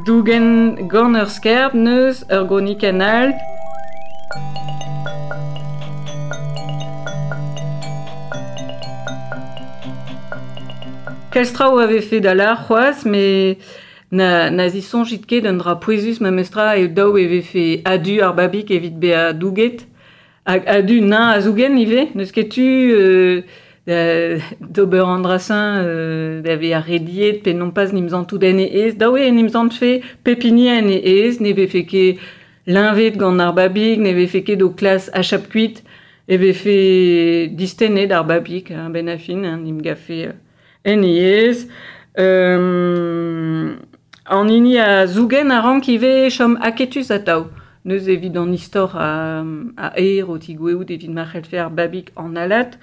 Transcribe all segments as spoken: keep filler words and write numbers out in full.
Dougen gant ur skerb neus ur gronikenn all. Kalz traoù a vefe da lâr c'hoazh, met na, na zisoñjit ket un dra pouezus memestra eo daou e vefe adu ar babig evit bezañ douget. Hag adu nañ a zougen ivez, n'eus ket tu euh, da, d'ober an dra-señ euh, da vezañ rediet pe non pas n'im zantout en e aez. Daou eo n'im zantfe pep hini en e aez, ne vefe ket leñvet gant ar babig, ne vefe ket o klas achap kuit, e vefe distennet ar babig, hein, ben a fin, hein, n'im gafe en e aez. Euh, an hini a zougen a rank ivez chom aketus atav. Neus evit an istor a, a aer o tigoueout evit ma c'hellfe ar babig an alat.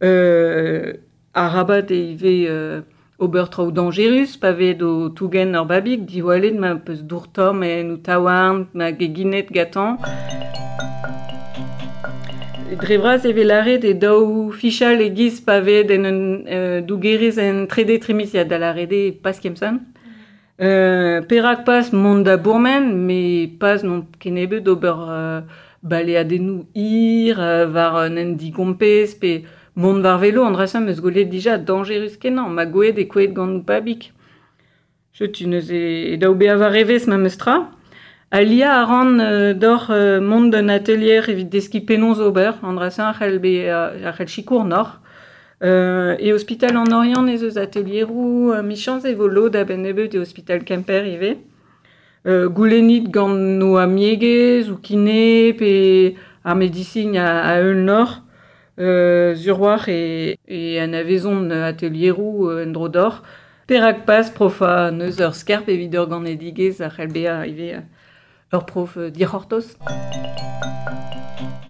Euh, arabat e ivez euh, ober traoù dañjerus, pa vez o tougen ur babig, diwallet ma peus dour-tomm en ou taouarn, ma geginet gatañ. Dre vras e vez lâret e daou fichal e-giz pa vez en un euh, dougerez en trede trimiziad da lâret eo pas kemsan. Euh, perak pas mont da bourmen, met pas non kennebeut d'ober euh, baleadennoù hir, euh, war un hent digompez, pe mont war velo, an dra-se 'm eus gwelet dija dañjerus kenañ, ma gwelet e kouezhet gant babig. Setu neuze e daou bezañ war evezh memestra. Aliañ a ran euh, d'oc'h euh, mont d'un atelier evit deskiñ penaos ober, an dra-se a c'hell bezañ a c'hell sikour n'oc'h. Euh, e ospital an Oriant ez eus atelieroù euh, michañs e vo lod a-benn nebeut e ospital Kemper ivez. Euh, goulennit gant o amiegez ou kine pe ar medisin a, a eul nor. Euh, sur-war e, e anavezont atelieroù euh, en dro d'or. Perak pas profa neus ur skerp evit ur ganedigezh a c'hell bezañ ivez ur prof dic'hortoz.